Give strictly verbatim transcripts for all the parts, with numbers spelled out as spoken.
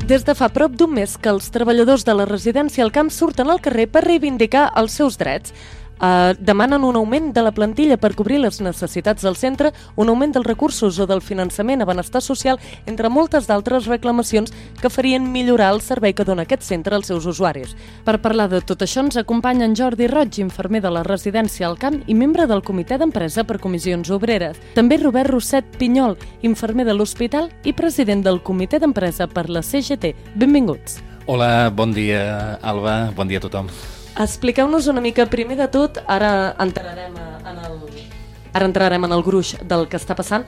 Des de fa prop d'un mes que els treballadors de la residència al camp surten al carrer per reivindicar els seus drets. Uh, demanen un augment de la plantilla per cobrir les necessitats del centre, un augment dels recursos o del finançament a benestar social, entre moltes d'altres reclamacions que farien millorar el servei que dona aquest centre als seus usuaris. Per parlar de tot això ens acompanya en Jordi Roig, infermer de la residència al camp i membre del comitè d'empresa per comissions obreres. També Robert Rosset Pinyol, infermer de l'hospital i president del comitè d'empresa per la C G T. Benvinguts. Hola, bon dia, Alba, bon dia a tothom. Expliqueu-nos una mica, primer de tot, ara entrarem en el, ara entrarem en el gruix del que està passant,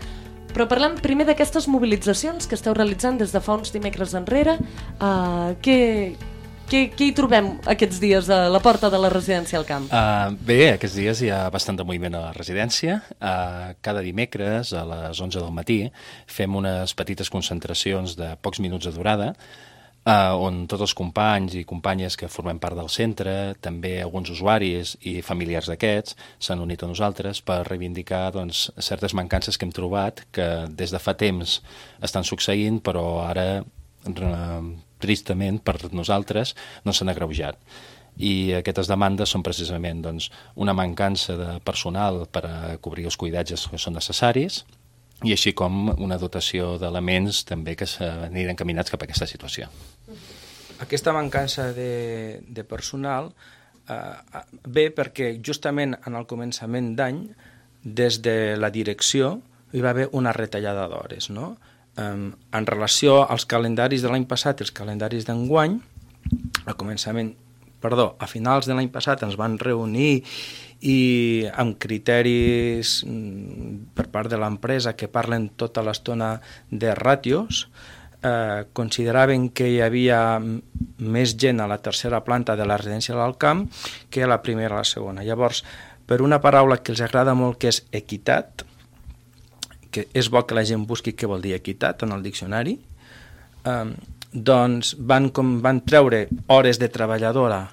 però parlant primer d'aquestes mobilitzacions que esteu realitzant des de fa uns dimecres enrere, uh, què, què, què hi trobem aquests dies a la porta de la residència al camp? Uh, bé, aquests dies hi ha bastant de moviment a la residència. Uh, cada dimecres a les onze del matí fem unes petites concentracions de pocs minuts de durada, Uh, on tots els companys i companyes que formem part del centre, també alguns usuaris i familiars d'aquests, s'han unit a nosaltres per reivindicar doncs, certes mancances que hem trobat que des de fa temps estan succeint, però ara, uh, tristament per nosaltres, no s'han agreujat. I aquestes demandes són precisament doncs, una mancança de personal per a cobrir els cuidatges que són necessaris, i així com una dotació d'elements també que s'aniran encaminats cap a aquesta situació. Aquesta mancança de, de personal eh, ve perquè justament en el començament d'any, des de la direcció, hi va haver una retallada d'hores, no? Eh, en relació als calendaris de l'any passat i els calendaris d'enguany, al començament, perdó, a finals de l'any passat ens van reunir i amb criteris per part de l'empresa que parlen tota l'estona de ràtios, eh, consideraven que hi havia més gent a la tercera planta de la residència del camp que a la primera i a la segona. Llavors, per una paraula que els agrada molt, que és equitat, que és bo que la gent busqui què vol dir equitat en el diccionari, eh, doncs van, com, van treure hores de treballadora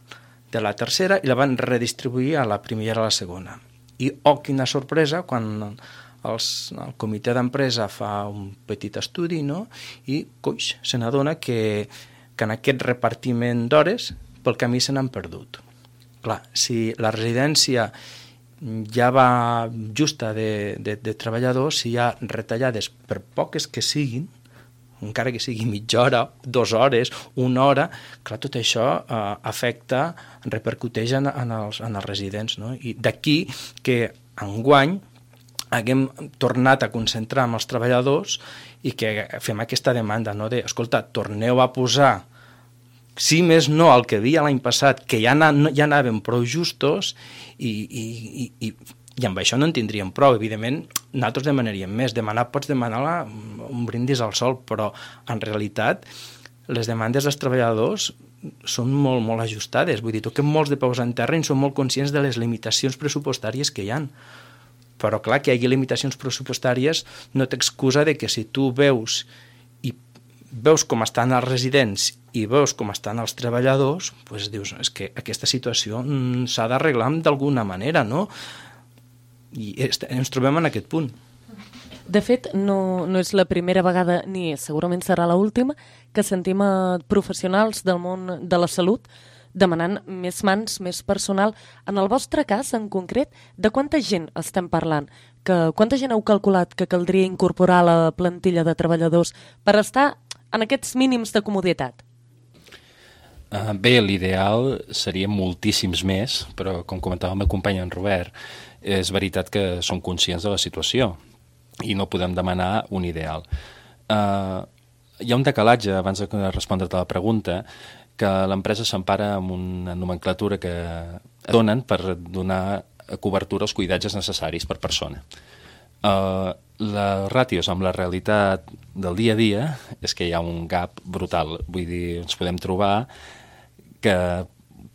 de la tercera i la van redistribuir a la primera i a la segona. I, oh, quina sorpresa, quan els, el comitè d'empresa fa un petit estudi, no? I, coix, se n'adona que, que en aquest repartiment d'hores pel camí se n'han perdut. Clar, si la residència ja va justa de, de, de treballadors, si hi ha retallades per poques que siguin, encara que sigui mitja hora, dues hores, una hora, clar, tot això eh, afecta, repercuteix en, en, els, en els residents, no? I d'aquí que enguany haguem tornat a concentrar amb els treballadors i que fem aquesta demanda, no? De, escolta, torneu a posar, si més no el que havia l'any passat, que ja, na, ja anàvem prou justos i, i, i, i i amb això no en tindríem prou. Evidentment, nosaltres demanaríem més. Demanar pots demanar la, un brindis al sol, però en realitat les demandes dels treballadors són molt, molt ajustades. Vull dir, toquem molts de peus en terra i som molt conscients de les limitacions pressupostàries que hi ha. Però clar, que hi hagi limitacions pressupostàries no t'excusa de que si tu veus i veus com estan els residents i veus com estan els treballadors, doncs dius, és que aquesta situació s'ha d'arreglar d'alguna manera, no? I ens trobem en aquest punt. De fet, no, no és la primera vegada, ni segurament serà l'última, que sentim a professionals del món de la salut demanant més mans, més personal. En el vostre cas, en concret, de quanta gent estem parlant? Que, quanta gent heu calculat que caldria incorporar a la plantilla de treballadors per estar en aquests mínims de comoditat? Uh, bé, l'ideal seria moltíssims més, però com comentava el meu company en Robert, és veritat que som conscients de la situació i no podem demanar un ideal. Uh, hi ha un decalatge, abans de respondre't a la pregunta, que l'empresa s'empara amb una nomenclatura que donen per donar cobertura als cuidatges necessaris per persona. Uh, les ràtios amb la realitat del dia a dia és que hi ha un gap brutal. Vull dir, ens podem trobar que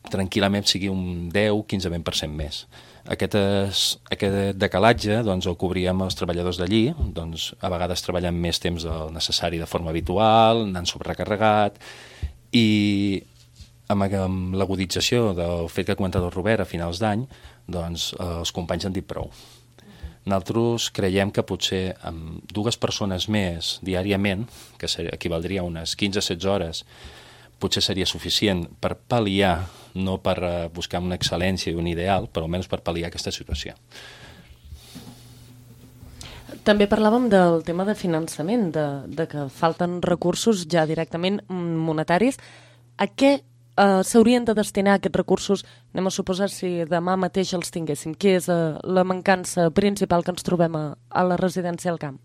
tranquil·lament sigui un deu a quinze per cent més. Aquest, es, aquest decalatge doncs, el cobríem els treballadors d'allí, doncs, a vegades treballant més temps del necessari de forma habitual, anant sobrecarregat, i amb, amb l'agudització del fet que ha comentat el Robert a finals d'any, doncs, els companys han dit prou. Nosaltres creiem que potser amb dues persones més diàriament, que equivaldria a unes quinze a setze hores, potser seria suficient per pal·liar, no per buscar una excel·lència i un ideal, però almenys per pal·liar aquesta situació. També parlàvem del tema de finançament, de, de que falten recursos ja directament monetaris. A què eh, s'haurien de destinar aquests recursos? Anem a suposar si demà mateix els tinguéssim. Què és eh, la mancança principal que ens trobem a, a la residència al camp?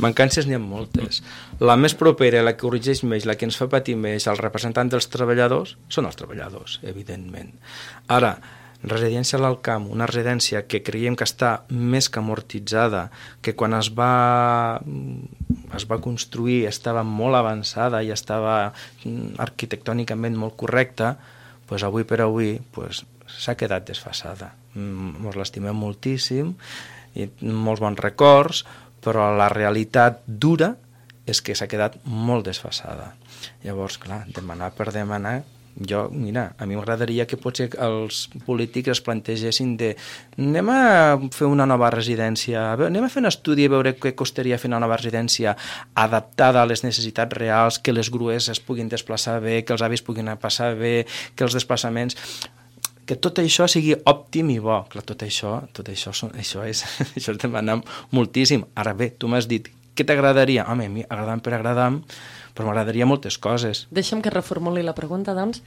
Mancances n'hi ha moltes. La més propera, la que corregeix més, la que ens fa patir més, el representant dels treballadors, són els treballadors, evidentment. Ara, residència al camp, una residència que creiem que està més que amortitzada, que quan es va, es va construir estava molt avançada i estava arquitectònicament molt correcta, doncs avui per avui doncs, s'ha quedat desfasada. Ens l'estimem moltíssim, i molts bons records, però la realitat dura és que s'ha quedat molt desfasada. Llavors, clar, demanar per demanar, jo, mira, a mi m'agradaria que potser els polítics es plantegessin de anem a fer una nova residència, anem a fer un estudi a veure què costaria fer una nova residència adaptada a les necessitats reals, que les grues es puguin desplaçar bé, que els avis puguin passar bé, que els desplaçaments... que tot això sigui òptim i bo. Clar, tot això, tot això, això és, això és demanar moltíssim. Ara bé, tu m'has dit, què t'agradaria? Home, a mi agradam per agradam, però m'agradaria moltes coses. Deixa'm que reformuli la pregunta, doncs.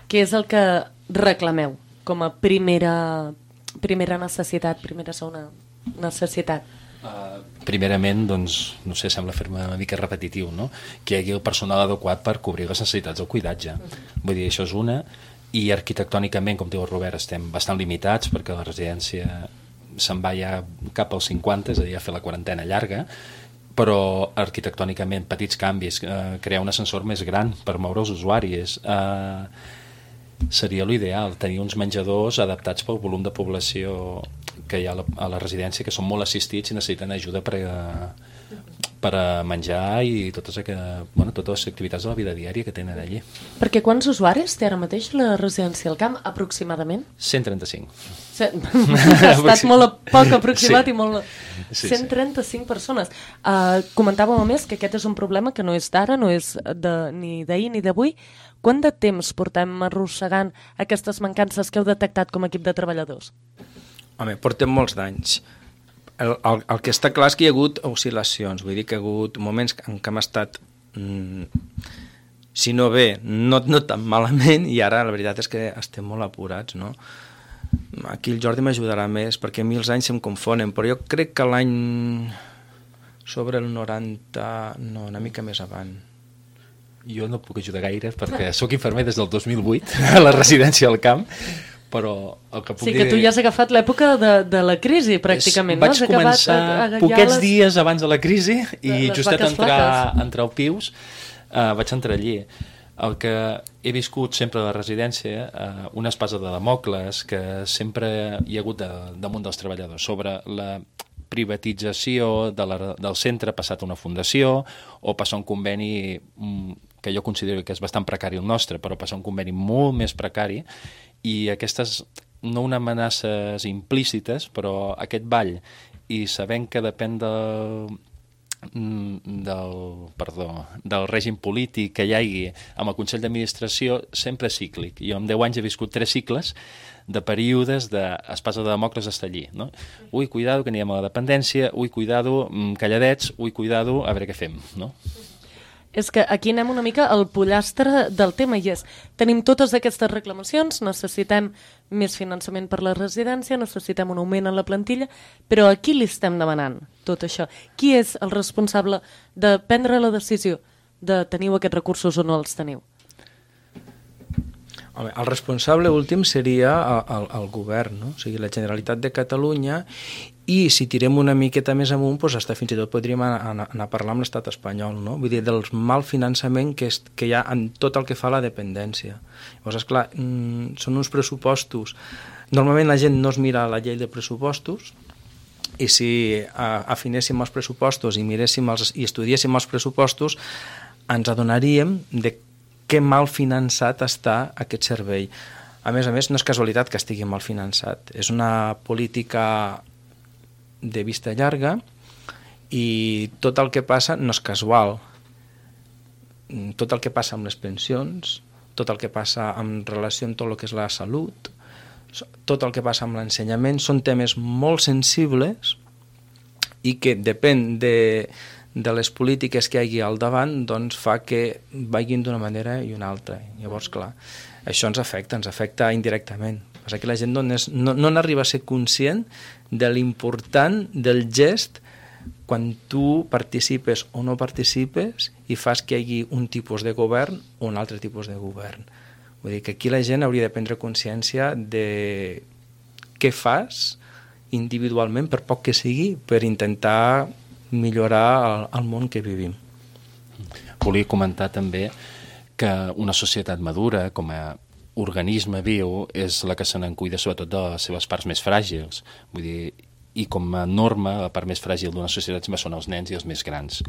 Què és el que reclameu com a primera, primera necessitat, primera segona necessitat? Uh, primerament, doncs, no sé, sembla fer-me una mica repetitiu, no? Que hi hagi el personal adequat per cobrir les necessitats del cuidatge. Vull dir, això és una... I arquitectònicament, com diu el Robert, estem bastant limitats perquè la residència se'n va ja cap als cinquanta, és a dir, a fer la quarantena llarga, però arquitectònicament petits canvis, eh, crear un ascensor més gran per moure els usuaris, eh, seria l'ideal, tenir uns menjadors adaptats pel volum de població que hi ha a la, a la residència, que són molt assistits i necessiten ajuda per a, per a menjar i totes, bueno, totes les activitats de la vida diària que tenen allí. Perquè quants usuaris té ara mateix la residència al camp, aproximadament? cent trenta-cinc. Ha estat molt poc aproximat, sí. I molt... Sí, cent trenta-cinc sí. Persones. Uh, comentàvem a més que aquest és un problema que no és d'ara, no és de, ni d'ahir ni d'avui. Quant de temps portem arrossegant aquestes mancances que heu detectat com a equip de treballadors? Home, portem molts d'anys. El, el, el que està clar és que hi ha hagut oscil·lacions, vull dir que hi ha hagut moments en què hem estat, mm, si no bé, no, no tan malament, i ara la veritat és que estem molt apurats, no? Aquí el Jordi m'ajudarà més, perquè a mi els anys se'm confonen, però jo crec que l'any sobre el noranta, no, una mica més avant. Jo no puc ajudar gaire, perquè sóc infermer des del dos mil vuit a la residència al camp, però el que puc sí, dir... que tu ja has agafat l'època de, de la crisi, pràcticament, és, vaig no? Has començar a, a poquets les... dies abans de la crisi i les justet entrar, flaques. entrar al Pius uh, vaig entrar allí. El que he viscut sempre a la residència, uh, una espasa de Damocles que sempre hi ha hagut de, damunt dels treballadors sobre la privatització de la, del centre passat a una fundació o passar un conveni mm, que jo considero que és bastant precari el nostre, però passar un conveni molt més precari, i aquestes, no unes amenaces implícites, però aquest ball, i sabent que depèn del, del, perdó, del règim polític que hi hagi amb el Consell d'Administració, sempre és cíclic. Jo en deu anys he viscut tres cicles de períodes d'espasa de Damocles estar allí, no? Ui, cuidado, que anirem a la dependència, ui, cuidado, calladets, ui, cuidado, a veure què fem, no? És que aquí anem una mica al pollastre del tema i és, tenim totes aquestes reclamacions, necessitem més finançament per la residència, necessitem un augment en la plantilla, però a qui li estem demanant tot això? Qui és el responsable de prendre la decisió de teniu aquests recursos o no els teniu? Home, el responsable últim seria el, el govern, no? O sigui, la Generalitat de Catalunya, i si tirem una miqueta més amunt, doncs hasta fins i tot podríem anar, anar a parlar amb l'estat espanyol, no? Vull dir, del mal finançament que, és, que hi ha en tot el que fa a la dependència. Llavors, esclar, mm, són uns pressupostos... Normalment la gent no es mira la llei de pressupostos, i si a, afinéssim els pressupostos i miréssim els, i estudiéssim els pressupostos, ens adonaríem de que mal finançat està aquest servei. A més a més, no és casualitat que estigui mal finançat. És una política de vista llarga i tot el que passa no és casual. Tot el que passa amb les pensions, tot el que passa en relació amb tot el que és la salut, tot el que passa amb l'ensenyament, són temes molt sensibles i que depèn de, de les polítiques que hi hagi al davant, doncs fa que vagin d'una manera i una altra. Llavors, clar, això ens afecta, ens afecta indirectament. Passa que la gent no, és, no, no n'arriba a ser conscient de l'important del gest quan tu participes o no participes i fas que hi hagi un tipus de govern o un altre tipus de govern. Vull dir que aquí la gent hauria de prendre consciència de què fas individualment, per poc que sigui, per intentar millorar el, el món que vivim. Volia comentar també que una societat madura, com a organisme viu, és la que se n'en cuida sobretot de les seves parts més fràgils. Vull dir, i com a norma, la part més fràgil d'una societat sempre són els nens i els més grans.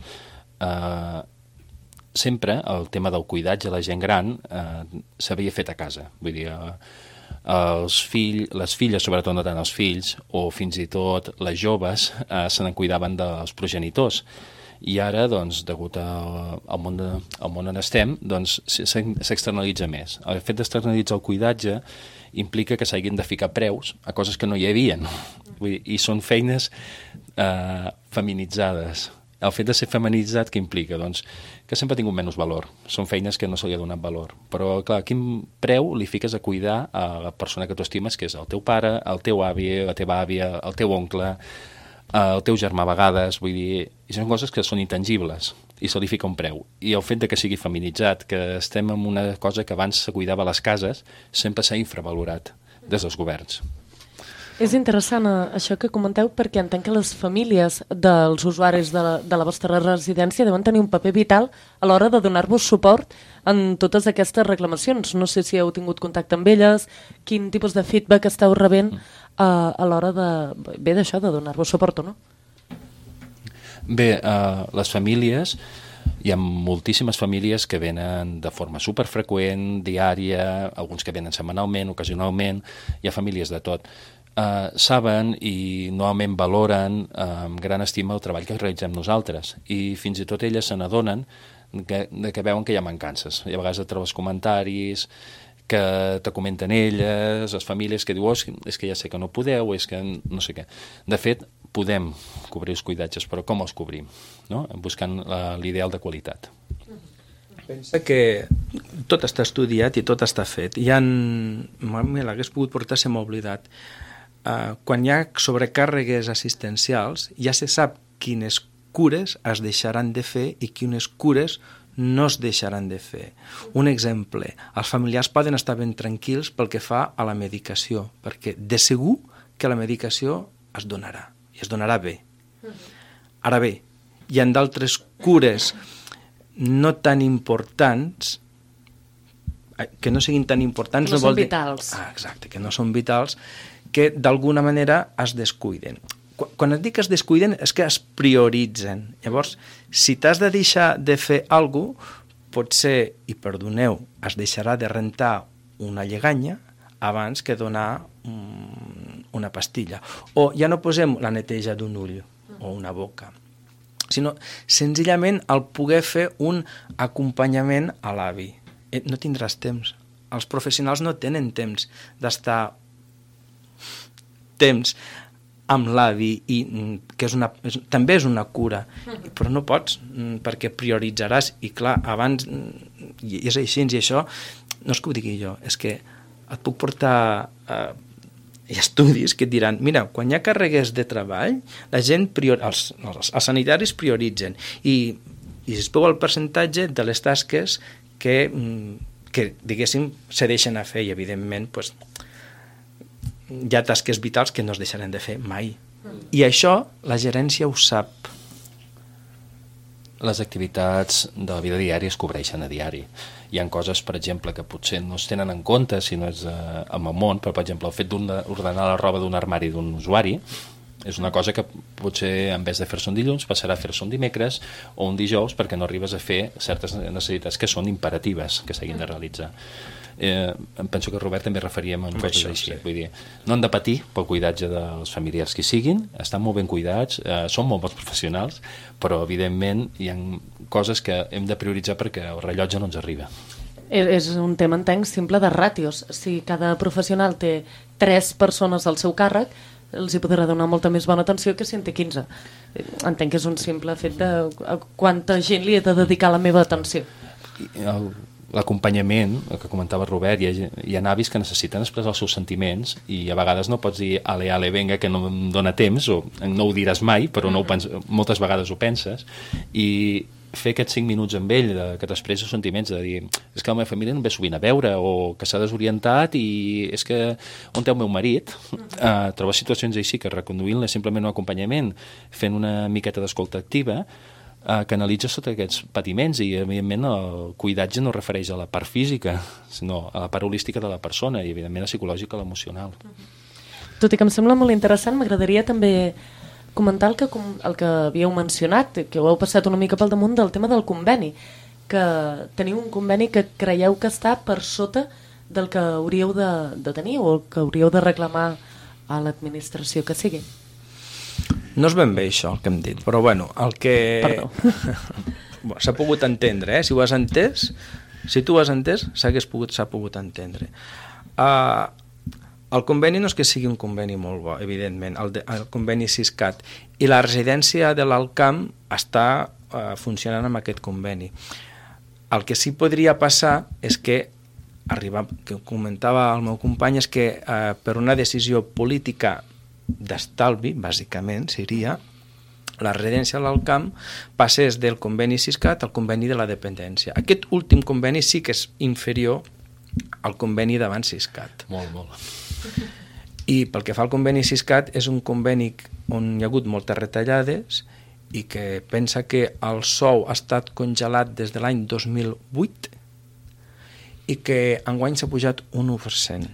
Uh, sempre el tema del cuidatge a la gent gran uh, s'havia fet a casa. Vull dir, uh, els fill, les filles, sobretot no tant els fills, o fins i tot les joves, uh, se n'en cuidaven dels progenitors. I ara, doncs, degut al, al, món de, al món on estem, doncs, s'externalitza més. El fet d'externalitzar el cuidatge implica que s'hagin de ficar preus a coses que no hi havia. Vull dir, i són feines eh, feminitzades. El fet de ser feminitzat, què implica? Doncs que sempre ha tingut menys valor. Són feines que no se li ha donat valor. Però, clar, quin preu li fiques a cuidar a la persona que tu estimes, que és el teu pare, el teu avi, la teva àvia, el teu oncle, el teu germà a vegades, vull dir, i són coses que són intangibles i se li fica un preu. I el fet de que sigui feminitzat, que estem en una cosa que abans se cuidava a les cases, sempre s'ha infravalorat des dels governs. És interessant això que comenteu perquè entenc que les famílies dels usuaris de la, de la vostra residència deuen tenir un paper vital a l'hora de donar-vos suport en totes aquestes reclamacions. No sé si heu tingut contacte amb elles, quin tipus de feedback esteu rebent uh, a l'hora de, bé d'això, de donar-vos suport o no? Bé, uh, les famílies, hi ha moltíssimes famílies que venen de forma superfreqüent, diària, alguns que venen setmanalment, ocasionalment, hi ha famílies de tot. Uh, saben i normalment valoren uh, amb gran estima el treball que realitzem nosaltres i fins i tot elles se n'adonen que, que veuen que hi ha mancances. I a vegades et trobes comentaris que te comenten elles, les famílies que diuen oh, és que ja sé que no podeu, és que no sé què. De fet, podem cobrir els cuidatges, però com els cobrim? No? Buscant l'ideal de qualitat. Pensa que tot està estudiat i tot està fet. Hi ha... Me l'hagués pogut portar, se m'ha oblidat. Uh, quan hi ha sobrecàrregues assistencials ja se sap quines cures es deixaran de fer i quines cures no es deixaran de fer. Un exemple, els familiars poden estar ben tranquils pel que fa a la medicació, perquè de segur que la medicació es donarà, i es donarà bé. Ara bé, hi ha d'altres cures no tan importants, que no siguin tan importants... No, no són vol vitals. Dir... Ah, exacte, que no són vitals, que d'alguna manera es descuiden. Quan et dic que es descuiden és que es prioritzen. Llavors, si t'has de deixar de fer alguna cosa, potser, i perdoneu, es deixarà de rentar una lleganya abans que donar um, una pastilla. O ja no posem la neteja d'un ull o una boca, sinó senzillament el poder fer un acompanyament a l'avi. No tindràs temps. Els professionals no tenen temps d'estar temps amb l'avi i que és una, és, també és una cura, però no pots perquè prioritzaràs i clar, abans i és així i això no és que ho digui jo, és que et puc portar eh, estudis que et diran, mira, quan hi ha càrregues de treball la gent prior, els, els, els sanitaris prioritzen i, i es veu el percentatge de les tasques que, que diguéssim se deixen a fer i evidentment pues, hi ha tasques vitals que no es deixaran de fer mai. I això la gerència ho sap. Les activitats de la vida diària es cobreixen a diari. Hi ha coses, per exemple, que potser no es tenen en compte si no és eh, amb el món, però, per exemple, el fet d'ordenar la roba d'un armari d'un usuari és una cosa que potser, en vez de fer-se un dilluns, passarà a fer-se un dimecres o un dijous perquè no arribes a fer certes necessitats que són imperatives, que s'hagin de realitzar. eh, em penso que Robert també referíem en coses això, així. sí. Vull dir, no han de patir pel cuidatge dels familiars que siguin, estan molt ben cuidats, eh, són molt bons professionals, però evidentment hi ha coses que hem de prioritzar perquè el rellotge no ens arriba. És un tema, entenc, simple de ràtios. Si cada professional té tres persones al seu càrrec, els hi podrà donar molta més bona atenció que si en té quinze. Entenc que és un simple fet de a quanta gent li he de dedicar la meva atenció. El, l'acompanyament, el que comentava Robert, hi ha, hi ha avis que necessiten expressar els seus sentiments i a vegades no pots dir ale, ale, venga, que no em dóna temps, o no ho diràs mai, però no ho pens, moltes vegades ho penses, i fer aquests cinc minuts amb ell, de, que t'expressi els sentiments, de dir, és que la meva família no ve sovint a veure, o que s'ha desorientat i és que on té el meu marit? Uh, trobar situacions així que reconduint-la simplement un acompanyament, fent una miqueta d'escolta activa, uh, que analitza sota aquests patiments i, evidentment, el cuidatge no refereix a la part física, sinó a la part holística de la persona i, evidentment, la psicològica, l'emocional. Tot i que em sembla molt interessant, m'agradaria també comentar el que, el que havíeu mencionat, que ho heu passat una mica pel damunt del tema del conveni, que teniu un conveni que creieu que està per sota del que hauríeu de, de tenir o que hauríeu de reclamar a l'administració que sigui. No és ben bé això el que hem dit, però bueno, el que... Perdó. Bueno, s'ha pogut entendre, eh? Si ho has entès, si tu ho has entès, s'ha pogut, s'ha pogut entendre. Uh, El conveni no és que sigui un conveni molt bo, evidentment, el, de, el conveni Siscat, i la residència de l'Alcamp està uh, funcionant amb aquest conveni. El que sí podria passar és que, arribar, que comentava el meu company, és que uh, per una decisió política d'estalvi, bàsicament, seria la residència de l'Alcamp passés del conveni Siscat al conveni de la dependència. Aquest últim conveni sí que és inferior al conveni d'abans Siscat. Molt, molt. I pel que fa al conveni Siscat, és un conveni on hi ha hagut moltes retallades i que pensa que el sou ha estat congelat des de l'any dos mil vuit i que enguany s'ha pujat un u per cent.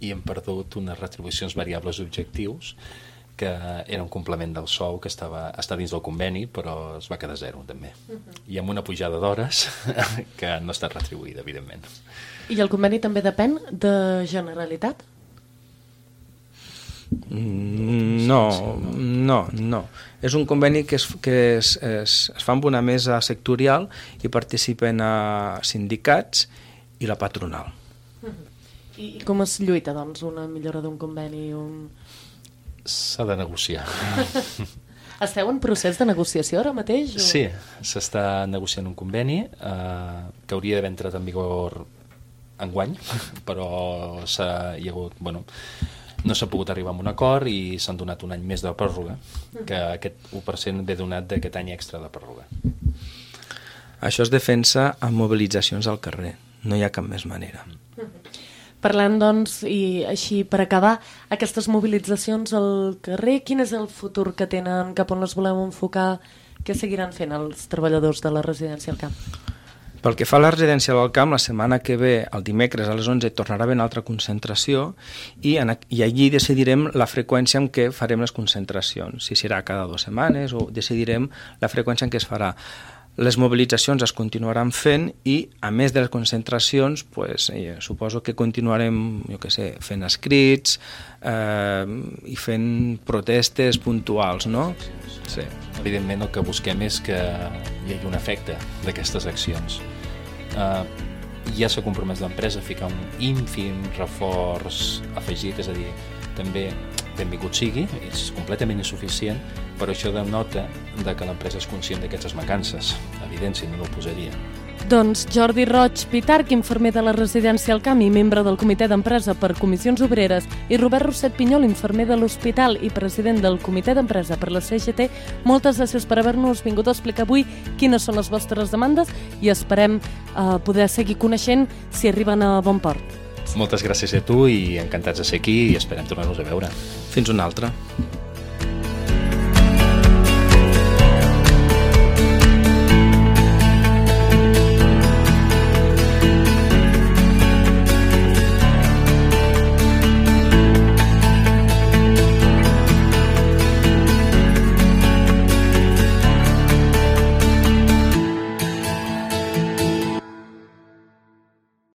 I hem perdut unes retribucions variables objectius que era un complement del sou que estava, està dins del conveni, però es va quedar zero també. Uh-huh. I amb una pujada d'hores que no ha estat retribuïda, evidentment. I el conveni també depèn de Generalitat? No, no, no. És un conveni que, es, que es, es, es fa amb una mesa sectorial i participen a sindicats i la patronal. Uh-huh. I com es lluita, doncs, una millora d'un conveni? Un... S'ha de negociar. Esteu en procés de negociació ara mateix? O... Sí, s'està negociant un conveni eh, que hauria d'haver entrat en vigor enguany, però s'ha, hi ha hagut, bueno, no s'ha pogut arribar a un acord i s'han donat un any més de pròrroga, que aquest u per cent ve donat d'aquest any extra de pròrroga. Això es defensa amb mobilitzacions al carrer, no hi ha cap més manera. Parlant, doncs, i així per acabar, aquestes mobilitzacions al carrer, quin és el futur que tenen, cap on les voleu enfocar, què seguiran fent els treballadors de la residència al camp? Pel que fa a la residència del camp, la setmana que ve, el dimecres a les onze, tornarà a haver una altra concentració i, en, i allí decidirem la freqüència en què farem les concentracions, si serà cada dues setmanes o decidirem la freqüència en què es farà. Les mobilitzacions es continuaran fent i, a més de les concentracions, pues, eh, suposo que continuarem, jo què sé, fent escrits eh, i fent protestes puntuals, no? Sí. Evidentment el que busquem és que hi hagi un efecte d'aquestes accions. Uh, ja s'ha compromès l'empresa a ficar un ínfim reforç afegit, és a dir, també benvingut sigui, és completament insuficient, però això denota de que l'empresa és conscient d'aquestes mancances. Evident, si no, no ho posaria. Doncs Jordi Roig Pitarch, infermer de la residència al camp i membre del comitè d'empresa per comissions obreres, i Robert Rosset Pinyol, infermer de l'hospital i president del comitè d'empresa per la C G T, moltes gràcies per haver-nos vingut a explicar avui quines són les vostres demandes i esperem eh, poder seguir coneixent si arriben a bon port. Moltes gràcies a tu i encantats de ser aquí i esperem tornar-nos a veure. Fins una altra.